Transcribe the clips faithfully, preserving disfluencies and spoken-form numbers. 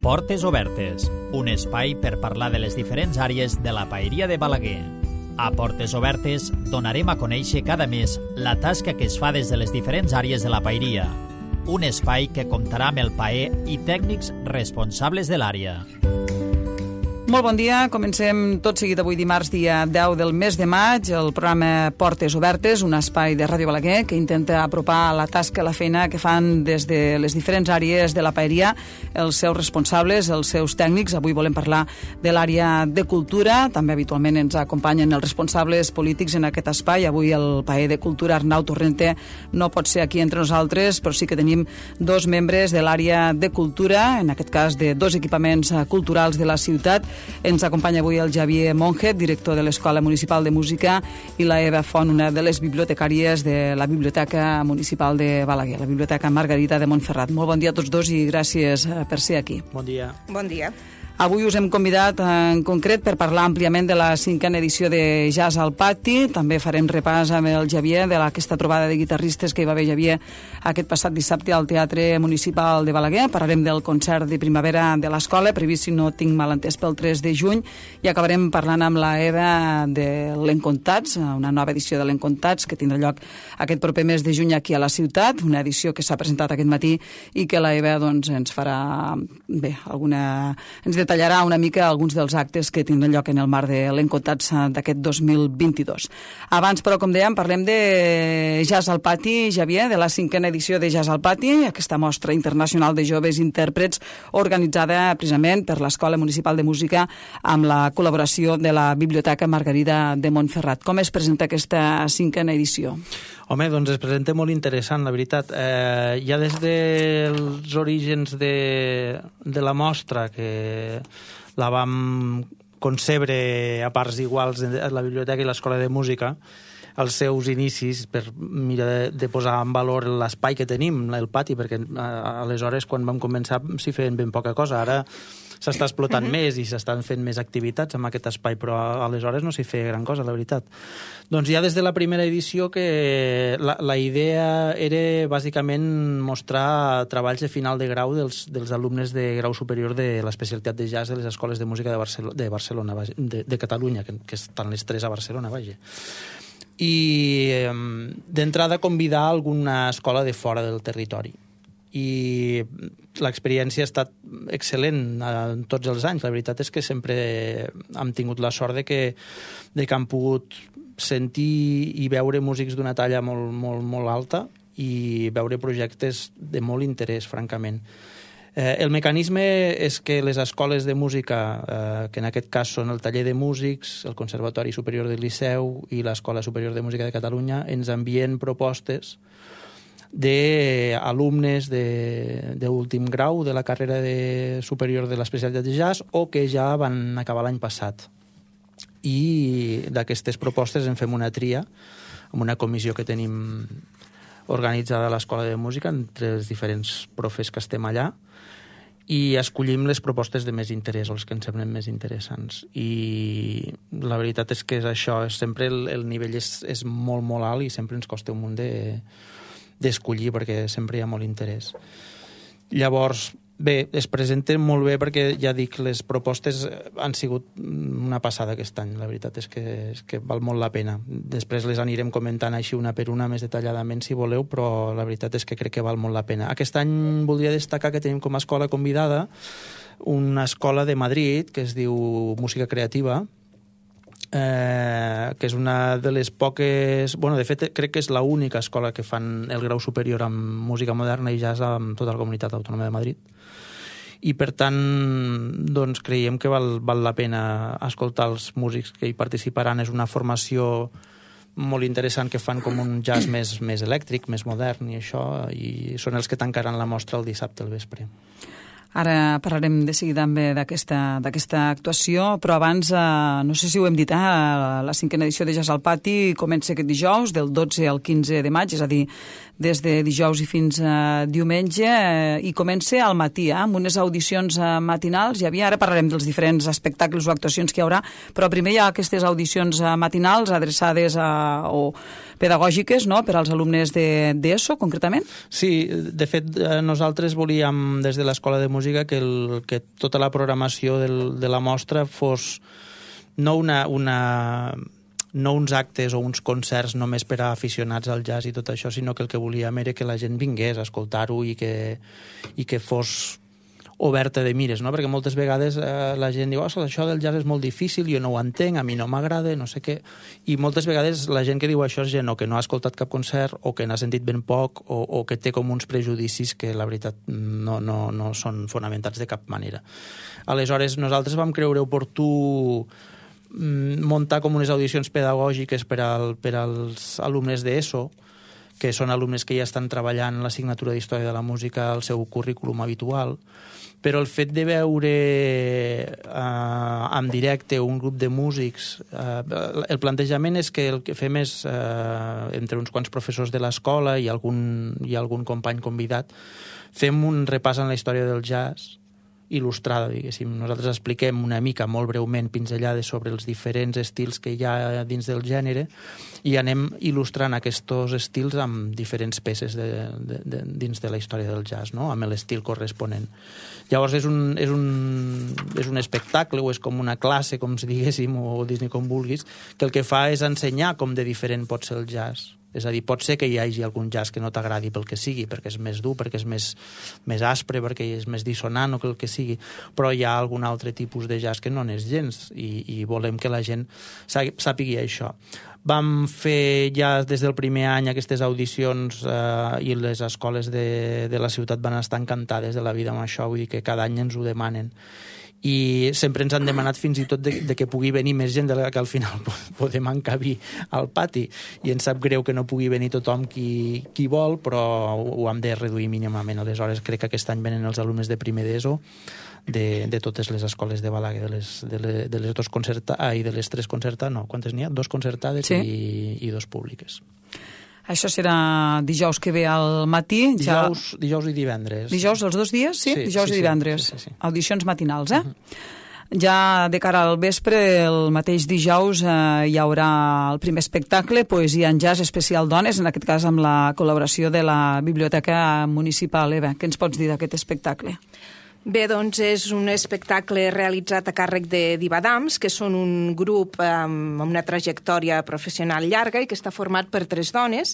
Portes Obertes, un espai per parlar de les diferents àrees de la paeria de Balaguer. A Portes Obertes donarem a conèixer cada mes la tasca que es fa des de les diferents àrees de la paeria. Un espai que comptarà amb el paer i tècnics responsables de l'àrea. Molt bon dia, comencem tot seguit avui dimarts, dia deu del mes de maig, el programa Portes Obertes, un espai de Ràdio Balaguer que intenta apropar la tasca, la feina que fan des de les diferents àrees de la paeria, els seus responsables, els seus tècnics. Avui volem parlar de l'àrea de cultura, també habitualment ens acompanyen els responsables polítics en aquest espai. Avui el paer de cultura, Arnau Torrente, no pot ser aquí entre nosaltres, però sí que tenim dos membres de l'àrea de cultura, en aquest cas de dos equipaments culturals de la ciutat. Ens acompanya avui el Xavier Monget, director de l'Escola Municipal de Música, i la Eva Font, una de les bibliotecàries de la Biblioteca Municipal de Balaguer, la Biblioteca Margarita de Montferrat. Molt bon dia a tots dos i gràcies per ser aquí. Bon dia. Bon dia. Avui us hem convidat en concret per parlar àmpliament de la cinquena edició de Jazz al Pati. També farem repàs amb el Xavier de aquesta trobada de guitarristes que hi va haver, Xavier, aquest passat dissabte al Teatre Municipal de Balaguer. Parlarem del concert de primavera de l'escola, previst, si no tinc mal entès, pel tres de juny, i acabarem parlant amb la Eva de l'Encontats, una nova edició de l'Encontats que tindrà lloc aquest proper mes de juny aquí a la ciutat, una edició que s'ha presentat aquest matí i que la Eva doncs, ens farà bé, alguna... ens detallarà una mica alguns dels actes que tindran lloc en el marc de l'Encontats d'aquest dos mil vint-i-dos. Abans, però, com dèiem, parlem de Jazz al Pati, Xavier, de la cinquena edició de Jazz al Pati, aquesta mostra internacional de joves intèrprets organitzada precisament per l'Escola Municipal de Música amb la col·laboració de la Biblioteca Margarita de Montferrat. Com es presenta aquesta cinquena edició? Home, doncs es presenta molt interessant, la veritat. Eh, ja des dels orígens de, de la mostra, que la vam concebre a parts iguals a la biblioteca i l'Escola de Música, els seus inicis, per mirar de, de posar en valor l'espai que tenim, el pati, perquè aleshores, quan vam començar, s'hi feien ben poca cosa. Ara s'està explotant uh-huh. més i s'estan fent més activitats en aquest espai, però aleshores no s'hi feia gran cosa, la veritat. Doncs ja des de la primera edició que la, la idea era bàsicament mostrar treballs de final de grau dels, dels alumnes de grau superior de l'especialitat de jazz de les escoles de música de Barcelona, de, Barcelona, de, de Catalunya, que, que estan les tres a Barcelona, vaja. I eh, d'entrada convidar alguna escola de fora del territori. I l'experiència ha estat excel·lent en tots els anys. La veritat és que sempre hem tingut la sort de que, de que hem pogut sentir i veure músics d'una talla molt, molt, molt alta i veure projectes de molt interès, francament. Eh, el mecanisme és que les escoles de música, eh, que en aquest cas són el Taller de Músics, el Conservatori Superior del Liceu i l'Escola Superior de Música de Catalunya, ens envien propostes d'alumnes d'últim grau de la carrera de superior de l'especialitat de jazz o que ja van acabar l'any passat. I d'aquestes propostes en fem una tria amb una comissió que tenim organitzada a l'Escola de Música entre els diferents profes que estem allà i escollim les propostes de més interès o les que ens semblen més interessants. I la veritat és que és això, és sempre el, el nivell és, és molt, molt alt i sempre ens costa un munt de d'escollir perquè sempre hi ha molt interès. Llavors, bé, es presenten molt bé perquè, ja dic, les propostes han sigut una passada aquest any. La veritat és que, és que val molt la pena. Després les anirem comentant així una per una més detalladament si voleu, però la veritat és que crec que val molt la pena. Aquest any voldria destacar que tenim com a escola convidada una escola de Madrid que es diu Música Creativa, Eh, que és una de les poques... Bueno, de fet, crec que és l'única escola que fan el grau superior amb música moderna i jazz amb tota la Comunitat Autònoma de Madrid. I, per tant, doncs, creiem que val, val la pena escoltar els músics que hi participaran. És una formació molt interessant que fan com un jazz més, més elèctric, més modern i això, i són els que tancaran la mostra el dissabte al vespre. Ara parlarem de seguida també d'aquesta d'aquesta actuació, però abans, eh, no sé si ho hem dit, eh, la cinquena edició de Jazz al Pati comença aquest dijous, del dotze al quinze de maig, és a dir, des de dijous i fins a diumenge, eh, i comença al matí, eh, amb unes audicions eh, matinals. Hi havia, ara parlarem dels diferents espectacles o actuacions que hi haurà, però primer hi ha aquestes audicions eh, matinals adreçades a, o pedagògiques, no?, per als alumnes de d'ESO, concretament. Sí, de fet, nosaltres volíem, des de l'Escola de Música música que, el, que tota la programació del, de la mostra fos no una... una no uns actes o uns concerts només per a aficionats al jazz i tot això, sinó que el que volíem era que la gent vingués a escoltar-ho i que, i que fos oberta de mires, no? Perquè moltes vegades eh, la gent diu, oh, això del jazz és molt difícil, jo no ho entenc, a mi no m'agrada, no sé què, i moltes vegades la gent que diu això és gent o que no ha escoltat cap concert o que n'ha sentit ben poc o, o que té com uns prejudicis que la veritat no, no, no són fonamentats de cap manera. Aleshores, nosaltres vam creure oportú muntar com unes audicions pedagògiques per, al, per als alumnes d'ESO, que són alumnes que ja estan treballant l'assignatura d'Història de la Música al seu currículum habitual, però el fet de veure eh, en directe un grup de músics, eh, el plantejament és que el que fem és, eh, entre uns quants professors de l'escola i algun, i algun company convidat, fem un repàs en la història del jazz, il·lustrada, diguéssim. Nosaltres expliquem una mica, molt breument, pinzellades sobre els diferents estils que hi ha dins del gènere i anem il·lustrant aquests estils amb diferents peces de, de, de, dins de la història del jazz, no? Amb l'estil corresponent. Llavors és un, és, un, és un espectacle o és com una classe, com si diguéssim, o dir-ne com vulguis, que el que fa és ensenyar com de diferent pot ser el jazz. És a dir, pot ser que hi hagi algun jazz que no t'agradi pel que sigui, perquè és més dur, perquè és més, més aspre, perquè és més dissonant o el que sigui, però hi ha algun altre tipus de jazz que no n'és gens i, i volem que la gent sàpigui això. Vam fer ja des del primer any aquestes audicions eh, i les escoles de, de la ciutat van estar encantades de la vida amb això, vull dir que cada any ens ho demanen. I sempre ens han demanat fins i tot de, de que pugui venir més gent de la que al final podem encabir al pati, i ens sap greu que no pugui venir tothom qui, qui vol, però ho hem de reduir mínimament. Aleshores crec que aquest any venen els alumnes de primer d'ESO de, de totes les escoles de Balaguer, de les, de les, de les dos concertades, ah, i de les tres concertades, no, quantes n'hi ha? Dos concertades, sí. i, i dos públiques. Això serà dijous que ve al matí. Dijous, ja... dijous i divendres. Dijous, els dos dies? Sí, sí dijous sí, i divendres. Sí, sí, sí. Audicions matinals, eh? Uh-huh. Ja de cara al vespre, el mateix dijous, eh, hi haurà el primer espectacle, Poesia en Jazz Especial Dones, en aquest cas amb la col·laboració de la Biblioteca Municipal. Eva, què ens pots dir d'aquest espectacle? Bé, doncs és un espectacle realitzat a càrrec de Divadams, que són un grup amb una trajectòria professional llarga i que està format per tres dones,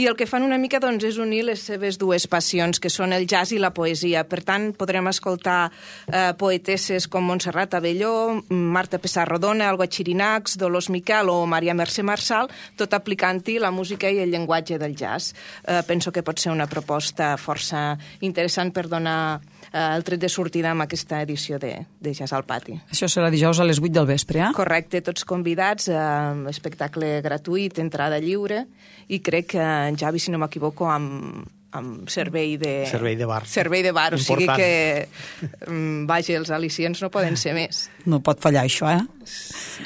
i el que fan una mica doncs, és unir les seves dues passions, que són el jazz i la poesia. Per tant, podrem escoltar eh, poetesses com Montserrat Abelló, Marta Pessarrodona, Alba Xirinacs, Dolors Miquel o Maria Mercè Marçal, tot aplicant-hi la música i el llenguatge del jazz. Eh, penso que pot ser una proposta força interessant per donar eh, el tret de sortida amb aquesta edició de, de Jazz al Pati. Això serà dijous a les vuit del vespre, eh? Correcte, tots convidats, eh, espectacle gratuït, entrada lliure, i crec que en Javi, si no m'equivoco, amb, amb servei de... Servei de bar. Servei de bar, important. O sigui que, um, vaja, els al·licients no poden ser més. No pot fallar això, eh?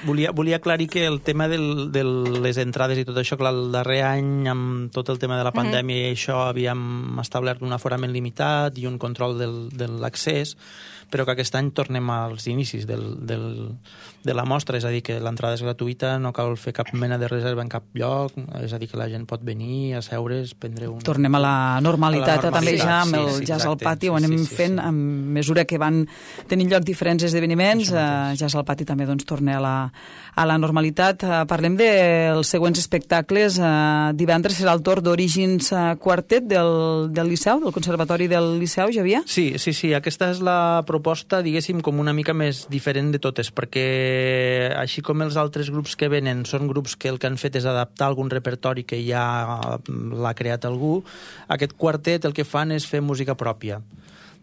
Volia, volia aclarir que el tema del, de les entrades i tot això, clar, el darrer any, amb tot el tema de la pandèmia mm-hmm. i això, havíem establert un aforament limitat i un control del, de l'accés, però que aquest any tornem als inicis del, del, de la mostra, és a dir, que l'entrada és gratuïta, no cal fer cap mena de reserva en cap lloc, és a dir, que la gent pot venir, asseure's, prendre un... Tornem a la normalitat, a la normalitat també ja amb sí, el sí, Jazz exacte, al Pati, ho anem sí, sí, fent sí. a mesura que van tenint lloc diferents esdeveniments, uh, Jazz al Pati també doncs, torna a la, a la normalitat. Uh, parlem dels següents espectacles. Uh, divendres serà el torn d'Orígens uh, Quartet del, del Liceu, del Conservatori del Liceu, Javier? Sí, sí, sí, aquesta és la proposta, diguéssim, com una mica més diferent de totes, perquè així com els altres grups que venen són grups que el que han fet és adaptar algun repertori que ja l'ha creat algú, aquest quartet el que fan és fer música pròpia.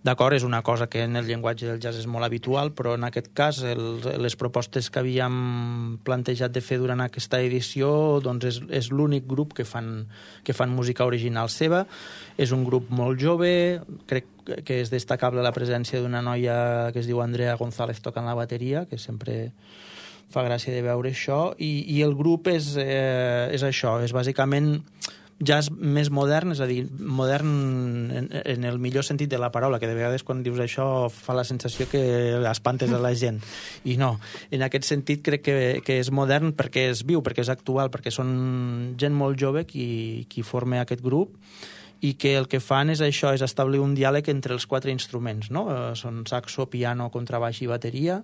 D'acord, és una cosa que en el llenguatge del jazz és molt habitual, però en aquest cas el, les propostes que havíem plantejat de fer durant aquesta edició doncs és, és l'únic grup que fan, que fan música original seva. És un grup molt jove, crec que és destacable la presència d'una noia que es diu Andrea González tocant la bateria, que sempre fa gràcia de veure això, i, i el grup és, eh, és això, és bàsicament jazz més modern, és a dir, modern en, en el millor sentit de la paraula, que de vegades quan dius això fa la sensació que espantes a la gent. I no, en aquest sentit crec que, que és modern perquè és viu, perquè és actual, perquè són gent molt jove qui, qui forma aquest grup, i que el que fan és això, és establir un diàleg entre els quatre instruments, no? Són saxo, piano, contrabaix i bateria,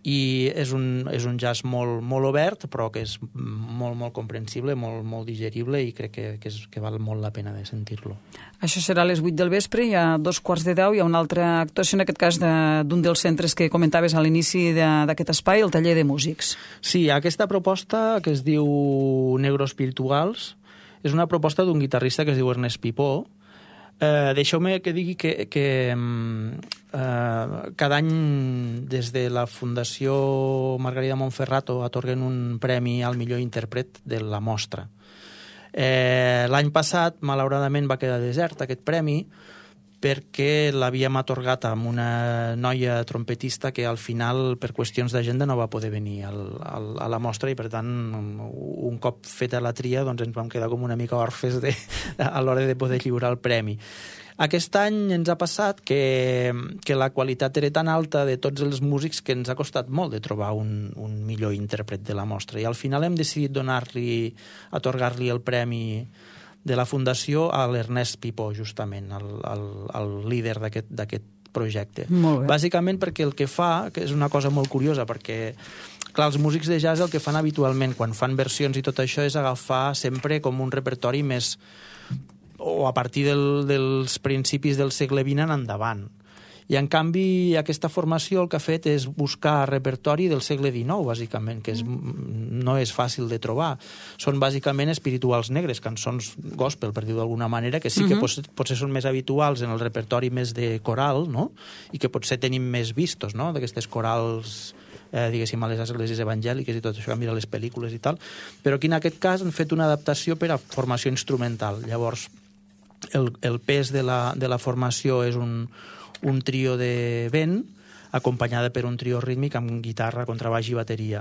i és un, és un jazz molt, molt obert, però que és molt, molt comprensible, molt, molt digerible, i crec que, que, és, que val molt la pena de sentir-lo. Això serà a les vuit del vespre, i a dos quarts de deu hi ha una altra actuació, en aquest cas d'un de, dels centres que comentaves a l'inici d'aquest espai, el taller de músics. Sí, aquesta proposta, que es diu Negros Virtuals, és una proposta d'un guitarrista que es diu Ernest Pipó. Eh, Deixeu-me que digui que, que eh, cada any des de la Fundació Margarida Monferrato atorguen un premi al millor intèrpret de la mostra. Eh, L'any passat, malauradament, va quedar desert aquest premi perquè l'havíem atorgat amb una noia trompetista que al final, per qüestions d'agenda, no va poder venir al, al, a la mostra, i per tant, un cop feta la tria, doncs ens vam quedar com una mica orfes de, a l'hora de poder lliurar el premi. Aquest any ens ha passat que, que la qualitat era tan alta de tots els músics que ens ha costat molt de trobar un, un millor intèrpret de la mostra, i al final hem decidit donar-li, atorgar-li el premi de la Fundació a l'Ernest Pipó, justament, el, el, el líder d'aquest projecte. Bàsicament perquè el que fa, que és una cosa molt curiosa, perquè, clar, els músics de jazz el que fan habitualment quan fan versions i tot això és agafar sempre com un repertori més, o a partir del, dels principis del segle vint en endavant. I, en canvi, aquesta formació el que ha fet és buscar repertori del segle dinou, bàsicament, que és, no és fàcil de trobar. Són, bàsicament, espirituals negres, cançons gospel, per dir-ho d'alguna manera, que sí que uh-huh. pot, potser són més habituals en el repertori més de coral, no? I que potser tenim més vistos, no?, d'aquestes corals, eh, diguéssim, a les esglésies evangèliques i tot això, a mirar les pel·lícules i tal. Però aquí, en aquest cas, han fet una adaptació per a formació instrumental. Llavors, el, el pes de la, de la formació és un un trio de vent, acompanyada per un trio rítmic amb guitarra, contrabaix i bateria.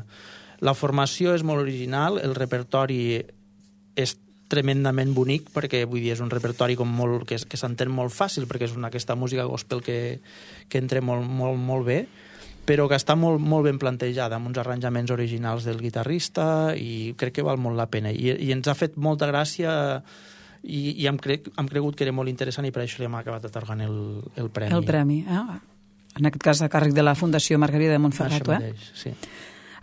La formació és molt original, el repertori és tremendament bonic, perquè vull dir, és un repertori com molt, que, que s'entén molt fàcil, perquè és una, aquesta música gospel que, que entra molt, molt, molt bé, però que està molt, molt ben plantejada, amb uns arranjaments originals del guitarrista, i crec que val molt la pena. I, i ens ha fet molta gràcia. I, i hem, cre hem cregut que era molt interessant, i per això li hem acabat atorgant el, el premi. El premi, eh? En aquest cas a càrrec de la Fundació Margarida de Monferrato. Això mateix, eh? Sí.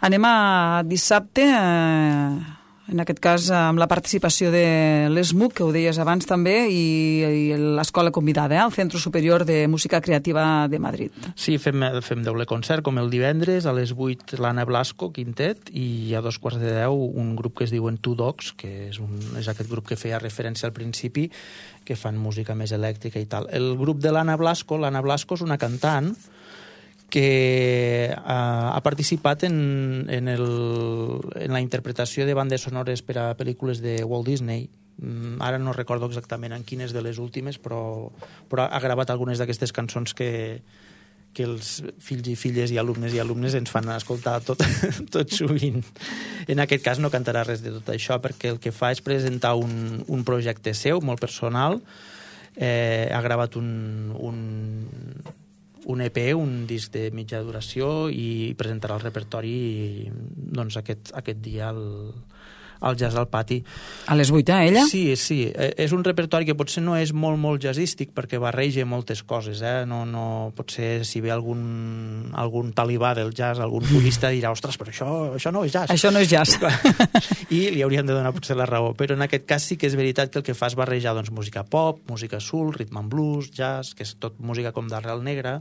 Anem a dissabte, eh, en aquest cas amb la participació de l'E S M U C, que ho deies abans també, i, i l'escola convidada, eh? El Centre Superior de Música Creativa de Madrid. Sí, fem, fem doble concert, com el divendres, a les vuit l'Anna Blasco, quintet, i a dos quarts de deu un grup que es diuen Two Dogs, que és, un, és aquest grup que feia referència al principi, que fan música més elèctrica i tal. El grup de l'Anna Blasco, l'Anna Blasco és una cantant que uh, ha participat en, en, el, en la interpretació de bandes sonores per a pel·lícules de Walt Disney. Mm, ara no recordo exactament en quines de les últimes, però, però ha gravat algunes d'aquestes cançons que, que els fills i filles i alumnes i alumnes ens fan escoltar tot, tot sovint. En aquest cas no cantarà res de tot això, perquè el que fa és presentar un, un projecte seu, molt personal. Eh, ha gravat un... un un E P, un disc de mitja duració, i presentarà el repertori doncs, aquest, aquest dia al, al Jazz al Pati. A les vuit, eh, ella? Sí, sí. És un repertori que potser no és molt, molt jazzístic, perquè barreja moltes coses. Eh? No, no, potser si ve algun, algun talibà del jazz, algun purista dirà, ostres, però això, això no és jazz. Això no és jazz. I li haurien de donar potser la raó. Però en aquest cas sí que és veritat que el que fa és barrejar doncs, música pop, música soul, rhythm and blues, jazz, que és tot música com d'arrel negra,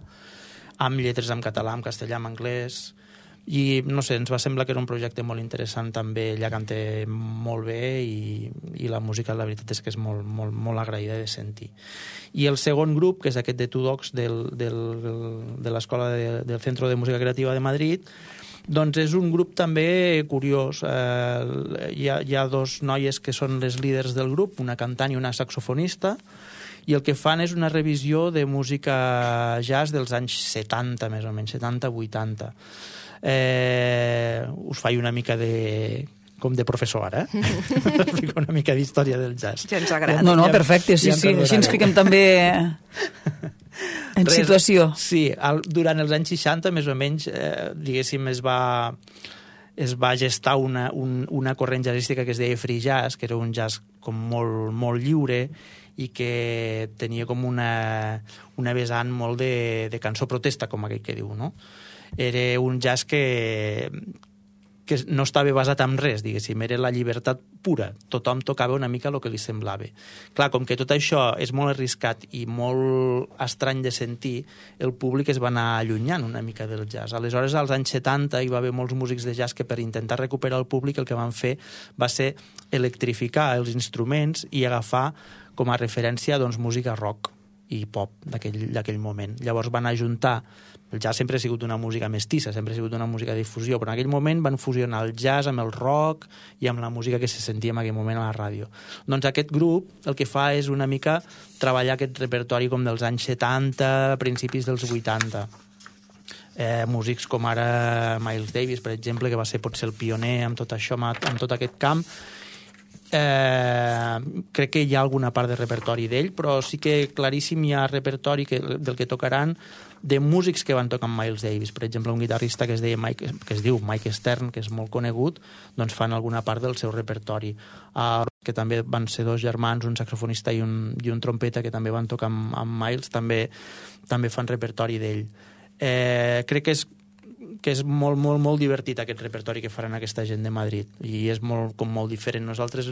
amb lletres en català, en castellà, en anglès. I, no sé, ens va semblar que era un projecte molt interessant també. Ella canta molt bé, i, i la música, la veritat és que és molt, molt, molt agraïda de sentir. I el segon grup, que és aquest de Two Dogs del, del, de l'Escola de, del Centro de Música Creativa de Madrid, doncs és un grup també curiós. Eh, hi, ha, hi ha dos noies que són les líders del grup, una cantant i una saxofonista, i el que fan és una revisió de música jazz dels anys setanta, més o menys, setanta vuitanta. Eh, us faig una mica de... com de professor ara, eh? Explico una mica d'història del jazz. Ja ens agrada. No, no, perfecte, sí, ja sí, així ens fiquem també en Res, situació. Sí, al, durant els anys seixanta, més o menys, eh, diguéssim, es va... es va gestar una, un, una corrent jazzística que es deia free jazz, que era un jazz com molt, molt lliure, i que tenia com una, una vessant molt de, de cançó protesta, com aquell que diu, no? Era un jazz que, que no estava basat en res, diguéssim, era la llibertat pura. Tothom tocava una mica el que li semblava. Clar, com que tot això és molt arriscat i molt estrany de sentir, el públic es va anar allunyant una mica del jazz. Aleshores, als anys setanta, hi va haver molts músics de jazz que per intentar recuperar el públic el que van fer va ser electrificar els instruments i agafar com a referència doncs, música rock i pop d'aquell moment. Llavors van ajuntar. El jazz sempre ha sigut una música mestissa, sempre ha sigut una música de difusió, però en aquell moment van fusionar el jazz amb el rock i amb la música que se sentia en aquell moment a la ràdio. Doncs aquest grup el que fa és una mica treballar aquest repertori com dels anys setanta, principis dels vuitanta. Eh, músics com ara Miles Davis, per exemple, que va ser potser el pioner amb tot això, amb tot aquest camp. Eh, crec que hi ha alguna part de repertori d'ell, però sí que claríssim hi ha repertori que, del que tocaran de músics que van tocar amb Miles Davis. Per exemple, un guitarrista que es, deia Mike, que es diu Mike Stern, que és molt conegut, doncs fan alguna part del seu repertori. Uh, que també van ser dos germans, un saxofonista i un, i un trompeta, que també van tocar amb, amb Miles, també, també fan repertori d'ell. Eh, crec que és que és molt, molt, molt divertit aquest repertori que faran aquesta gent de Madrid i és molt, com molt diferent. Nosaltres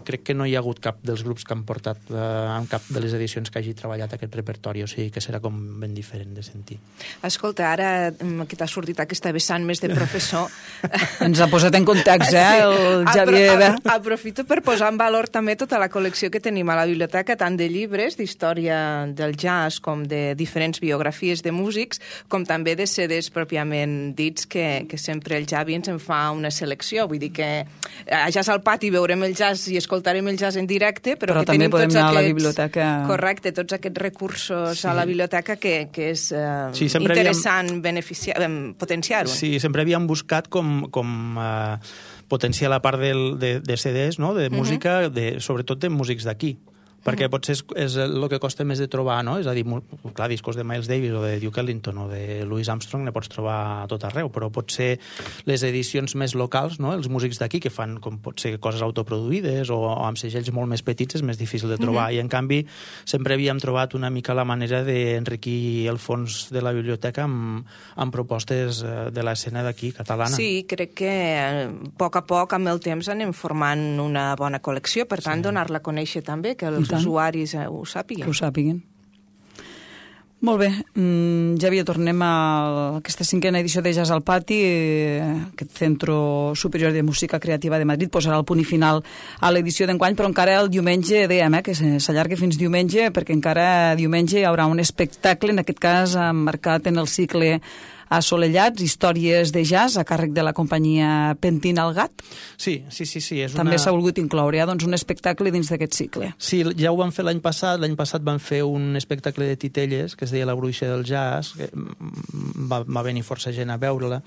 crec que no hi ha hagut cap dels grups que han portat eh, en cap de les edicions que hagi treballat aquest repertori, o sigui que serà com ben diferent de sentir. Escolta, ara que t'ha sortit aquesta vessant més de professor... Ens ha posat en context, eh, el Xavier. Apro apro aprofito per posar en valor també tota la col·lecció que tenim a la biblioteca, tant de llibres d'història del jazz com de diferents biografies de músics, com també de C Ds pròpiament dits que, que sempre el Xavi ens en fa una selecció. Vull dir que a Jazz al Pati veurem el jazz i escoltarem el jazz en directe, però, però que també tenim podem tots anar aquests, a la biblioteca... Correcte, tots aquests recursos sí. a la biblioteca que, que és eh, sí, interessant havíem... beneficiar, potenciar-ho. Sí, sempre havíem buscat com... com eh, potenciar la part del, de, de C Ds, no? De música, uh -huh. de, sobretot de músics d'aquí, perquè uh -huh. potser és, és el que costa més de trobar, no? És a dir, clar, discos de Miles Davis o de Duke Ellington o de Louis Armstrong ne pots trobar a tot arreu, però potser les edicions més locals, no? Els músics d'aquí que fan com potser coses autoproduïdes o, o amb segells molt més petits és més difícil de trobar, uh -huh. i en canvi sempre havíem trobat una mica la manera d'enriquir el fons de la biblioteca amb, amb propostes de l'escena d'aquí, catalana. Sí, crec que a poc a poc amb el temps anem formant una bona col·lecció, per tant sí. donar-la a conèixer també, que els els usuaris ho sàpiguen. Que ho sàpiguen. Molt bé, mm, Xavier, tornem a aquesta cinquena edició de Jazz al Pati. Aquest Centro Superior de Música Creativa de Madrid posarà el punt i final a l'edició d'enguany, però encara el diumenge dèiem eh, que s'allargui fins diumenge, perquè encara diumenge hi haurà un espectacle, en aquest cas emmarcat en el cicle Assolellats, històries de jazz a càrrec de la companyia Pentina el Gat. Sí, sí, sí. sí és També una... s'ha volgut incloure ja, doncs, un espectacle dins d'aquest cicle. Sí, ja ho van fer l'any passat. L'any passat van fer un espectacle de titelles que es deia La Bruixa del Jazz, que va, va venir força gent a veure-la.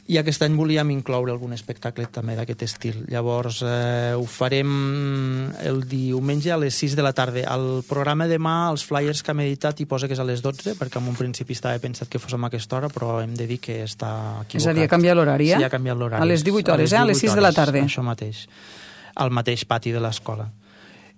I aquest any volíem incloure algun espectacle també d'aquest estil. Llavors, eh, ho farem el diumenge a les sis de la tarda. Al programa demà, els flyers que hem editat hi posa que és a les dotze, perquè en un principi estava pensat que fos a aquesta hora, però hem de dir que està equivocat. És a dir, ha canviat l'horari, eh? Sí, ha canviat l'horari. A les divuit hores, eh? A les sis de la tarda. Això mateix. Al mateix pati de l'escola.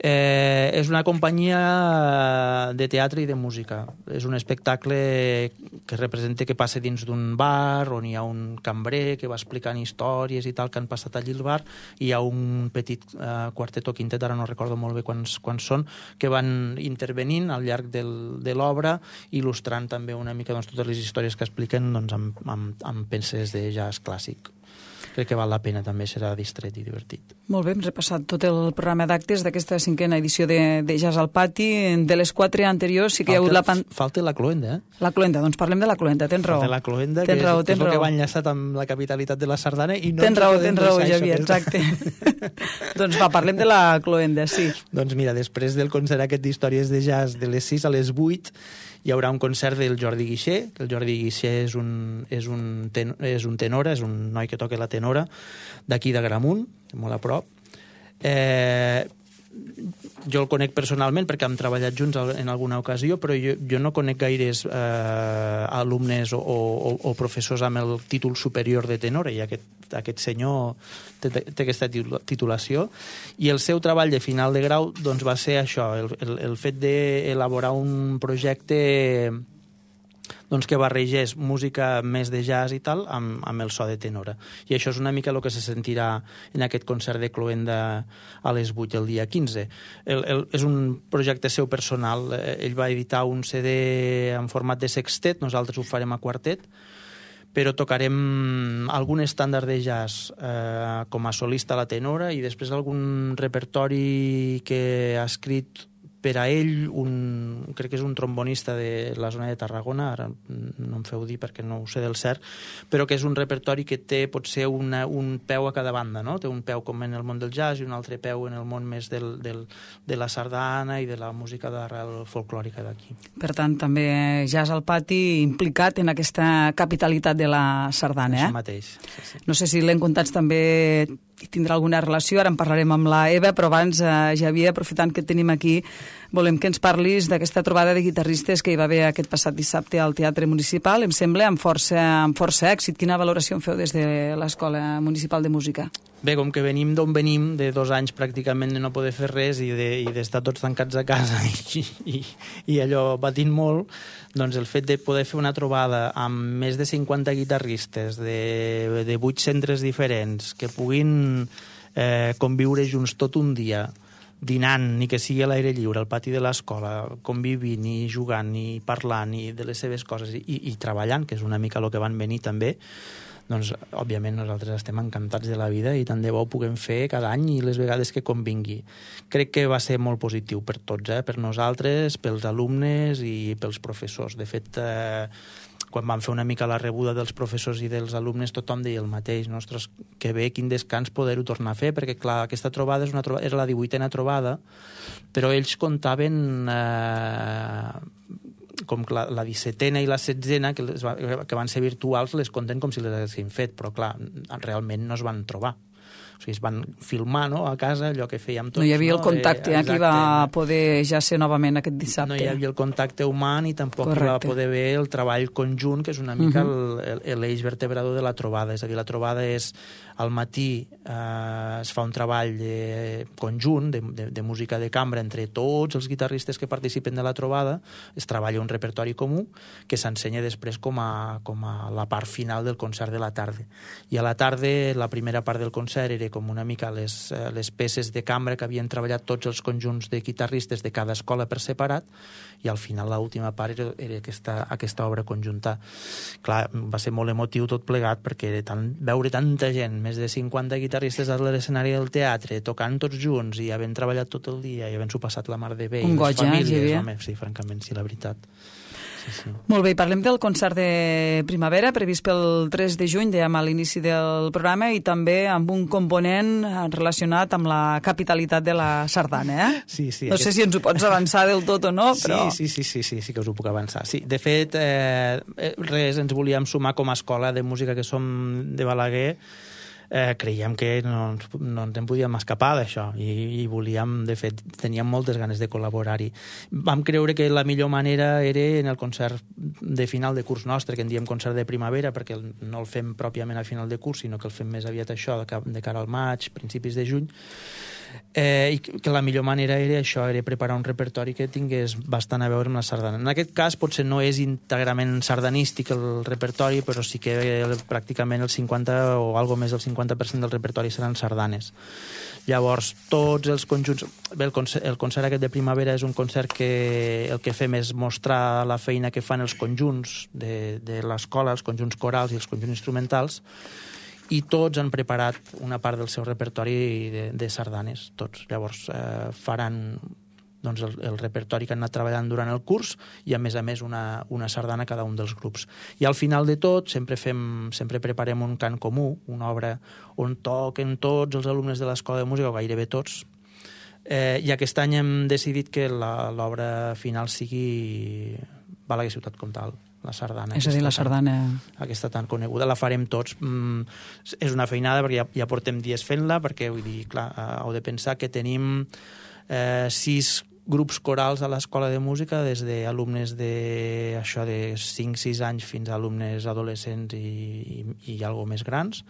Eh, és una companyia de teatre i de música. És un espectacle que representa que passa dins d'un bar on hi ha un cambrer que va explicant històries i tal que han passat allí al bar, i hi ha un petit eh, quartet o quintet, ara no recordo molt bé quants, quants són, que van intervenint al llarg del, de l'obra, il·lustrant també una mica doncs, totes les històries que expliquen doncs, amb, amb, amb peces de jazz clàssic. Crec que val la pena, també serà distret i divertit. Molt bé, hem repassat tot el programa d'actes d'aquesta cinquena edició de, de Jazz al Pati. De les quatre anteriors sí que falta, hi ha hagut la... Pan... Falta la cloenda, eh? La cloenda, doncs parlem de la cloenda, tens raó. Falta la cloenda, ten que, raó, és, que és raó. el que va enllaçat amb la capitalitat de la Sardana i no... Tens raó, tens raó, Xavier, exacte. Doncs va, parlem de la cloenda, sí. Doncs mira, després del concert aquest d'històries de jazz de les sis a les vuit hi haurà un concert del Jordi Guixer, que el Jordi Guixer és un, és un, ten, és un tenora, és un noi que toca la tenora, d'aquí de Gramunt, molt a prop. Eh, jo el conec personalment perquè hem treballat junts en alguna ocasió, però jo, jo no conec gaires eh, alumnes o, o, o professors amb el títol superior de tenor, i aquest, aquest senyor té, té aquesta titulació, i el seu treball de final de grau doncs, va ser això, el, el, el fet d'elaborar un projecte doncs, que barregés música més de jazz i tal amb, amb el so de tenora. I això és una mica el que se sentirà en aquest concert de cloenda a les vuit el dia quinze. El, el, és un projecte seu personal. Ell va editar un C D en format de sextet, nosaltres ho farem a quartet, però tocarem algun estàndard de jazz eh, com a solista a la tenora i després algun repertori que ha escrit per a ell, un, crec que és un trombonista de la zona de Tarragona, ara no em feu dir perquè no ho sé del cert, però que és un repertori que té potser una, un peu a cada banda, no? Té un peu com en el món del jazz i un altre peu en el món més del, del, de la sardana i de la música d'arrel folclòrica d'aquí. Per tant, també jazz al pati implicat en aquesta capitalitat de la sardana, eh? Això mateix. Sí, sí. No sé si l'encontats també tindrà alguna relació, ara en parlarem amb la Eva, però abans, eh, Javier, aprofitant que et tenim aquí, volem que ens parlis d'aquesta trobada de guitarristes que hi va haver aquest passat dissabte al Teatre Municipal, em sembla, amb força, amb força èxit. Quina valoració en feu des de l'Escola Municipal de Música? Bé, com que venim d'on venim, de dos anys pràcticament de no poder fer res i d'estar de, tots tancats a casa i, i, i allò batint molt, doncs el fet de poder fer una trobada amb més de cinquanta guitarristes de, de vuit centres diferents que puguin eh, conviure junts tot un dia, dinant, ni que sigui a l'aire lliure, al pati de l'escola, convivint i jugant i parlant i de les seves coses i, i treballant, que és una mica el que van venir també, doncs, òbviament, nosaltres estem encantats de la vida i tant de bo ho puguem fer cada any i les vegades que convingui. Crec que va ser molt positiu per tots, eh? Per nosaltres, pels alumnes i pels professors. De fet, eh, quan vam fer una mica la rebuda dels professors i dels alumnes, tothom deia el mateix. Ostres, que bé, quin descans poder-ho tornar a fer, perquè, clar, aquesta trobada és una trobada, era la divuitena trobada, però ells comptaven eh, com la, la dissetena i la setzena, que, les va, que van ser virtuals, les compten com si les haguessin fet, però clar, realment no es van trobar. O sigui, es van filmar, no?, a casa, allò que fèiem tots. No hi havia no? el contacte, eh, que va poder ja ser novament aquest dissabte. No hi havia el contacte humà ni tampoc hi va poder haver el treball conjunt, que és una mica uh -huh. l'eix vertebrador de la trobada. És a dir, la trobada és al matí eh, es fa un treball de, conjunt de, de, de música de cambra entre tots els guitarristes que participen de la trobada, es treballa un repertori comú que s'ensenya després com a, com a la part final del concert de la tarda. I a la tarda, la primera part del concert era com una mica les, les peces de cambra que havien treballat tots els conjunts de guitarristes de cada escola per separat, i al final l'última part era, era aquesta, aquesta obra conjunta. Clar, va ser molt emotiu tot plegat, perquè era tan, veure tanta gent, més de cinquanta guitarristes a l'escenari del teatre, tocant tots junts i havent treballat tot el dia i havent-s'ho passat la mar de bé. Un goig, eh, Javier? Home, sí, francament, sí, la veritat. Sí, sí. Molt bé, parlem del concert de primavera previst pel tres de juny, dèiem a l'inici del programa, i també amb un component relacionat amb la capitalitat de la sardana, eh? Sí, sí. No aquest... sé si ens ho pots avançar del tot o no, però... Sí, sí, sí, sí, sí que us ho puc avançar. Sí, de fet, eh, res, ens volíem sumar com a escola de música que som de Balaguer. Eh, creiem que no, no ens en podíem escapar d'això i, i volíem, de fet, teníem moltes ganes de col·laborar-hi. Vam creure que la millor manera era en el concert de final de curs nostre, que en diem concert de primavera, perquè no el fem pròpiament a final de curs, sinó que el fem més aviat això, de cara al maig, principis de juny, eh, i que la millor manera era això, era preparar un repertori que tingués bastant a veure amb la sardana. En aquest cas potser no és íntegrament sardanístic el repertori, però sí que pràcticament el cinquanta o algo més del cinquanta per cent del repertori seran sardanes. Llavors, tots els conjunts... Bé, el concert, el concert aquest de primavera és un concert que el que fem és mostrar la feina que fan els conjunts de, de l'escola, els conjunts corals i els conjunts instrumentals, i tots han preparat una part del seu repertori de, de sardanes, tots. Llavors eh, faran doncs, el, el repertori que han anat treballant durant el curs i, a més a més, una, una sardana cada un dels grups. I al final de tot sempre, fem, sempre preparem un cant comú, una obra on toquen tots els alumnes de l'Escola de Música, o gairebé tots, eh, i aquest any hem decidit que l'obra final sigui Balaguer Ciutat Comtal, la sardana. És a dir, la sardana... Tan, aquesta tan coneguda, la farem tots. Mm, és una feinada perquè ja, ja portem dies fent-la, perquè, vull dir, clar, heu de pensar que tenim eh, sis grups corals a l'escola de música, des d'alumnes de, això, de cinc sis anys fins a alumnes adolescents i, i, i algo més grans,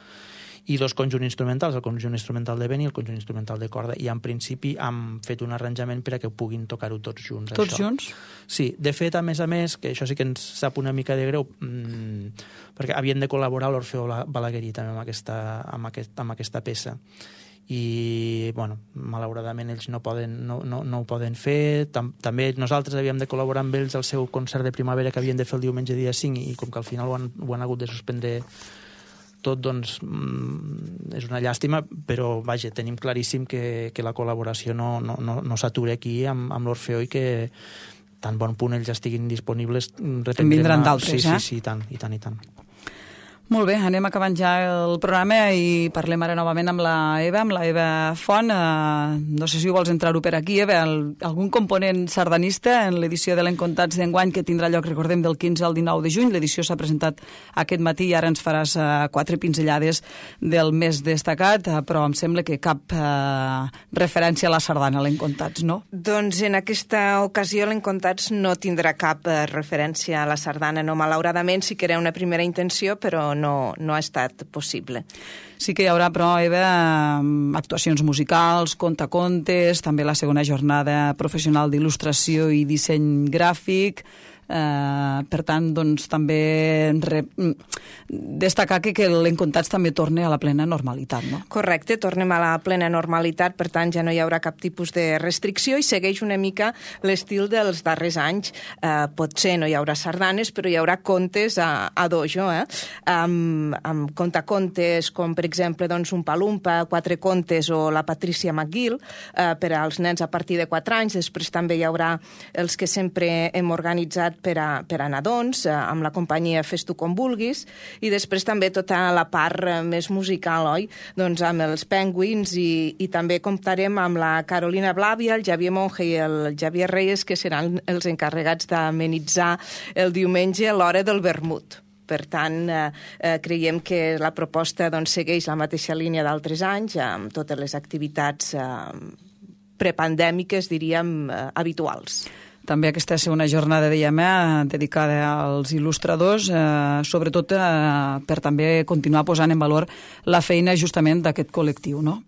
i dos conjunts instrumentals, el conjunt instrumental de vent i el conjunt instrumental de corda, i en principi hem fet un arranjament per a que puguin tocar-ho tots junts. Tots això. junts? Sí, de fet, a més a més, que això sí que ens sap una mica de greu, mmm, perquè havien de col·laborar l'Orfeó Balaguerí també amb aquesta, amb aquest, amb aquesta peça. I, bueno, malauradament ells no, poden, no, no, no ho poden fer. Tam, també nosaltres havíem de col·laborar amb ells al seu concert de primavera que havien de fer el diumenge dia cinc, i com que al final ho han, ho han hagut de suspendre tot, doncs mm, és una llàstima, però vaja, tenim claríssim que, que la col·laboració no, no, no, no s'atura aquí amb, amb l'Orfeó, i que tan bon punt ells estiguin disponibles en vindran d'altres, sí, eh? Sí, sí, i tant, i tant, i tant. Molt bé, anem acabant ja el programa i parlem ara novament amb la Eva, amb la Eva Font. Uh, no sé si vols entrar-ho per aquí, Eva, el, algun component sardanista en l'edició de l'Encontats d'enguany, que tindrà lloc, recordem, del quinze al dinou de juny. L'edició s'ha presentat aquest matí i ara ens faràs uh, quatre pinzellades del més destacat, uh, però em sembla que cap uh, referència a la sardana a l'Encontats, no? Doncs en aquesta ocasió l'Encontats no tindrà cap uh, referència a la sardana, no, malauradament sí que era una primera intenció, però no, no ha estat possible. Sí que hi haurà, però, Eva, actuacions musicals, contacontes, també la segona jornada professional d'il·lustració i disseny gràfic. Uh, per tant, doncs, també re... destacar que, que l'Encontats també torna a la plena normalitat, no? Correcte, tornem a la plena normalitat, per tant ja no hi haurà cap tipus de restricció i segueix una mica l'estil dels darrers anys. Uh, potser no hi haurà sardanes, però hi haurà contes a, a dojo, eh? Amb, amb contacontes com, per exemple, doncs, un Palumpa, quatre contes o la Patricia McGill, uh, per als nens a partir de quatre anys. Després també hi haurà els que sempre hem organitzat per a, per a nadons, eh, amb la companyia Fes tu com vulguis, i després també tota la part eh, més musical, oi? Doncs amb els Penguins, i, i també comptarem amb la Carolina Blavia, el Javier Monge i el Javier Reyes, que seran els encarregats d'amenitzar el diumenge a l'hora del vermut. Per tant, eh, eh, creiem que la proposta doncs, segueix la mateixa línia d'altres anys, amb totes les activitats eh, prepandèmiques, diríem, eh, habituals. També aquesta segona jornada, dèiem, eh, dedicada als il·lustradors, eh, sobretot eh, per també continuar posant en valor la feina justament d'aquest col·lectiu, no?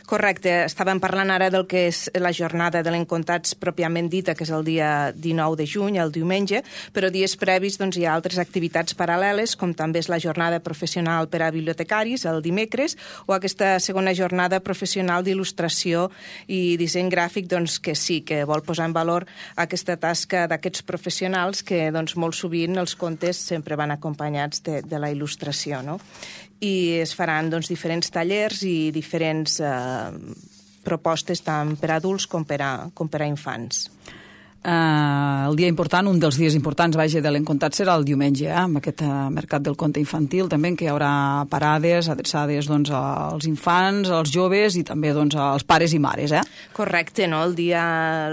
Correcte. Estàvem parlant ara del que és la jornada de l'Encontats pròpiament dita, que és el dia dinou de juny, el diumenge, però dies previs doncs, hi ha altres activitats paral·leles, com també és la jornada professional per a bibliotecaris, el dimecres, o aquesta segona jornada professional d'il·lustració i disseny gràfic, doncs, que sí, que vol posar en valor aquesta tasca d'aquests professionals que doncs, molt sovint els contes sempre van acompanyats de, de la il·lustració, no? I es faran doncs, diferents tallers i diferents eh, propostes tant per a adults com per a, com per a infants. Uh, el dia important, un dels dies importants, vaja, de l'Encontats serà el diumenge, eh, amb aquest uh, mercat del conte infantil, també en què hi haurà parades adreçades doncs, als infants, als joves i també doncs, als pares i mares, eh? Correcte, no? El dia,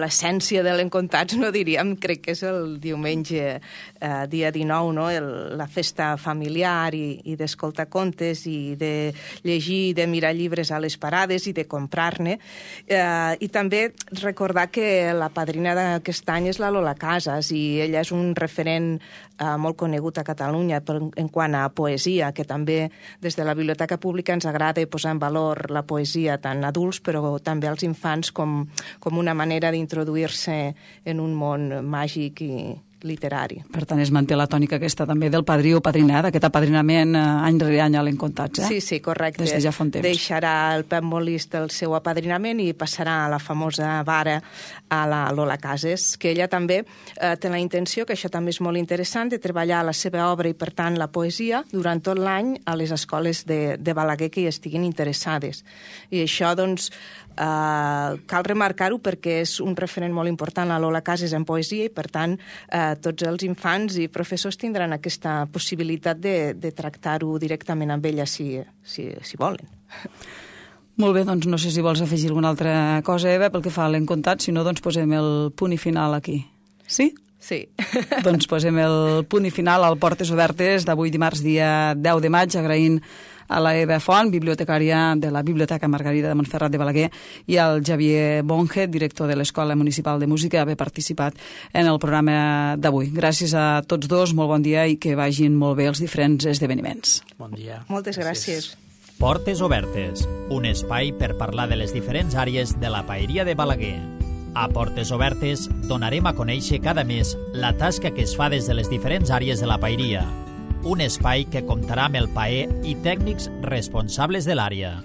l'essència de l'Encontats, no diríem, crec que és el diumenge, eh, dia dinou, no? El, la festa familiar i, i d'escoltar contes i de llegir i de mirar llibres a les parades i de comprar-ne. Eh, I també recordar que la padrina d'aquest aquest any és la Lola Casas, i ella és un referent eh, molt conegut a Catalunya per, en quant a poesia, que també des de la Biblioteca Pública ens agrada posar en valor la poesia tant adults però també als infants com, com una manera d'introduir-se en un món màgic i literari. Per tant, es manté la tònica aquesta també del padrí o padrina, d'aquest apadrinament eh, any rere any a l'Encontats, eh? Sí, sí, correcte. Des de ja fa un temps. Deixarà el Pep Molist el seu apadrinament i passarà a la famosa vara a la Lola Casas, que ella també eh, té la intenció, que això també és molt interessant, de treballar la seva obra i, per tant, la poesia durant tot l'any a les escoles de, de Balaguer que hi estiguin interessades. I això, doncs, eh, cal remarcar-ho perquè és un referent molt important a Lola Casas en poesia i, per tant, eh, tots els infants i professors tindran aquesta possibilitat de, de tractar-ho directament amb ella si, si, si volen. Molt bé, doncs no sé si vols afegir alguna altra cosa, Eva, pel que fa a l'Encontat, si no, doncs posem el punt i final aquí. Sí? Sí. Doncs posem el punt i final al Portes Obertes d'avui dimarts, dia deu de maig, agraint a la Eva Font, bibliotecària de la Biblioteca Margarida de Montferrat de Balaguer, i al Xavier Bonge, director de l'Escola Municipal de Música, haver participat en el programa d'avui. Gràcies a tots dos, molt bon dia i que vagin molt bé els diferents esdeveniments. Bon dia. Moltes gràcies. Portes Obertes, un espai per parlar de les diferents àrees de la paeria de Balaguer. A Portes Obertes donarem a conèixer cada mes la tasca que es fa des de les diferents àrees de la paeria. Un espai que comptarà amb el paer i tècnics responsables de l'àrea.